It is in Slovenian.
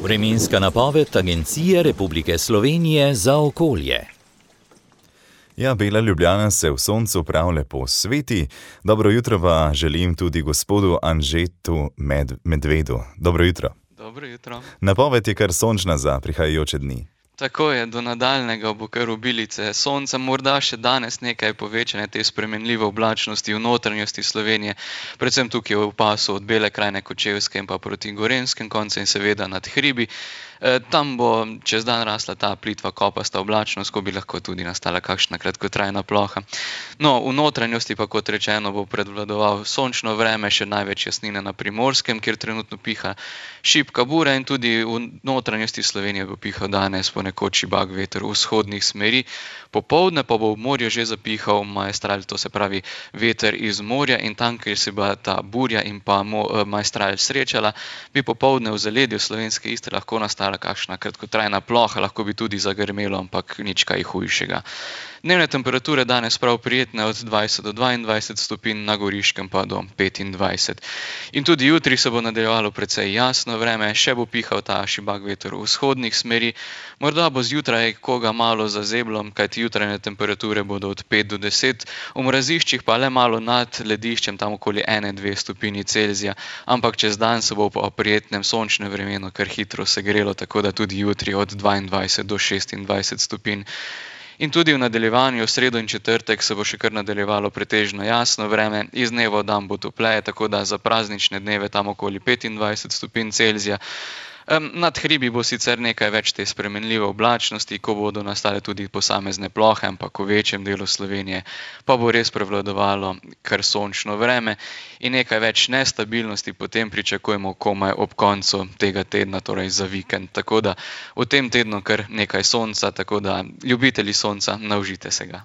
Vremenska napoved Agencije Republike Slovenije za okolje. Ja, Bela Ljubljana se v soncu prav lepo sveti. Dobro jutro pa želim tudi gospodu Anžetu Medvedu. Dobro jutro. Dobro jutro. Napoved je kar sončna za prihajajoče dni. Tako je, do nadaljnega bo kar obilice sonca, morda še danes nekaj povečane te spremenljive oblačnosti v notranjosti Slovenije, predvsem tukaj v pasu od Bele krajine, Kočevske in pa proti Gorenjskem koncu in seveda nad hribi. Tam bo čez dan rasla ta plitva kopasta oblačnost, ko bi lahko tudi nastala kakšna kratkotrajna ploha. No, v notranjosti pa, kot rečeno, bo prevladoval sončno vreme, še največ jasnine na Primorskem, kjer trenutno piha šibka bura, in tudi v notranjosti Slovenije bo pihal danes ponekod šibak veter vzhodnih smeri. Popoldne pa bo v morju že zapihal maestral, to se pravi veter iz morja, in tam, kjer se bo ta burja in pa maestral srečala, bi popoldne v zaledju slovenske Istre lahko nastala kakšna kratkotrajna ploha, lahko bi tudi zagrmelo, ampak nič kaj hujšega. Dnevne temperature danes prav prijetne od 20 do 22 stopinj, na Goriškem pa do 25. In tudi jutri se bo nadaljevalo precej jasno vreme, še bo pihal ta šibak veter vzhodnih smeri. Morda bo zjutraj koga malo zazeblo, kajti jutranje temperature bodo od 5 do 10, v mraziščih pa le malo nad lediščem, tam okoli 1-2 stopinji Celzija, ampak čez dan se bo po prijetnem sončnem vremenu kar hitro segrelo, tako da tudi jutri od 22 do 26 stopinj. In tudi v nadaljevanju, v sredo in četrtek, se bo še kar nadaljevalo pretežno jasno vreme, iz dneva v dan bo topleje, tako da za praznične dneve tam okoli 25 stopinj Celzija. Nad hribi bo sicer nekaj več te spremenljive oblačnosti, ko bodo nastale tudi posamezne plohe, ampak v večjem delu Slovenije pa bo res prevladovalo kar sončno vreme in nekaj več nestabilnosti potem pričakujemo komaj ob koncu tega tedna, torej za vikend. Tako da v tem tednu kar nekaj sonca, tako da ljubitelji sonca, naužite se ga.